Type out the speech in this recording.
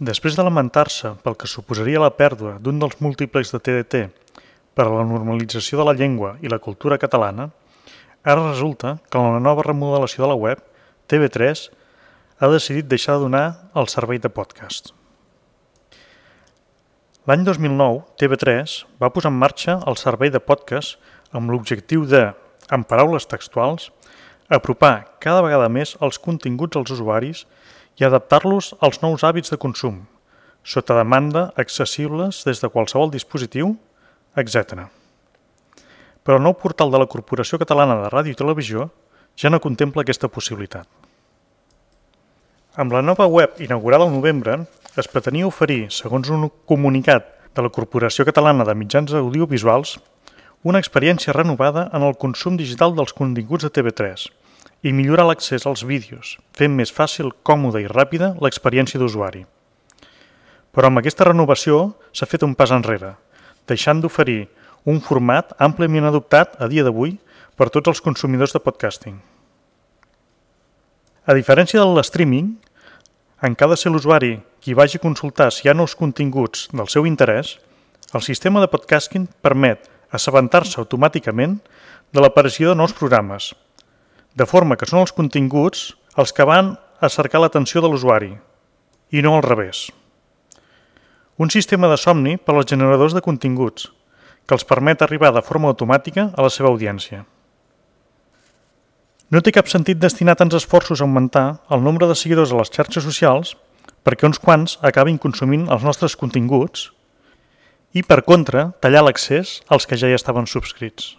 Després de lamentar-se pel que suposaria la pèrdua d'un dels múltiplex de TDT per a la normalització de la llengua i la cultura catalana, ara resulta que en la nova remodelació de la web, TV3 ha decidit deixar de donar el servei de podcast. L'any 2009, TV3 va posar en marxa el servei de podcast amb l'objectiu de, en paraules textuals, apropar cada vegada més els continguts als usuaris i adaptar-los als nous hàbits de consum, sota demanda accessibles des de qualsevol dispositiu, etc. Però el nou portal de la Corporació Catalana de Ràdio i Televisió ja no contempla aquesta possibilitat. Amb la nova web inaugurada al novembre, es pretenia oferir, segons un comunicat de la Corporació Catalana de Mitjans Audiovisuals, una experiència renovada en el consum digital dels continguts de TV3 i millorar l'accés als vídeos, fent més fàcil, còmoda i ràpida l'experiència d'usuari. Però amb aquesta renovació s'ha fet un pas enrere, deixant d'oferir un format àmpliament adoptat a dia d'avui per tots els consumidors de podcasting. A diferència de l'streaming, en què ha de ser l'usuari qui vagi a consultar si hi ha nous continguts del seu interès, el sistema de podcasting permet assabentar-se automàticament de l'aparició de nous programes, de forma que són els continguts els que van a cercar l'atenció de l'usuari, i no al revés. Un sistema de somni per als generadors de continguts, que els permet arribar de forma automàtica a la seva audiència. No té cap sentit destinar tants esforços a augmentar el nombre de seguidors a les xarxes socials perquè uns quants acabin consumint els nostres continguts i, per contra, tallar l'accés als que ja hi estaven subscrits.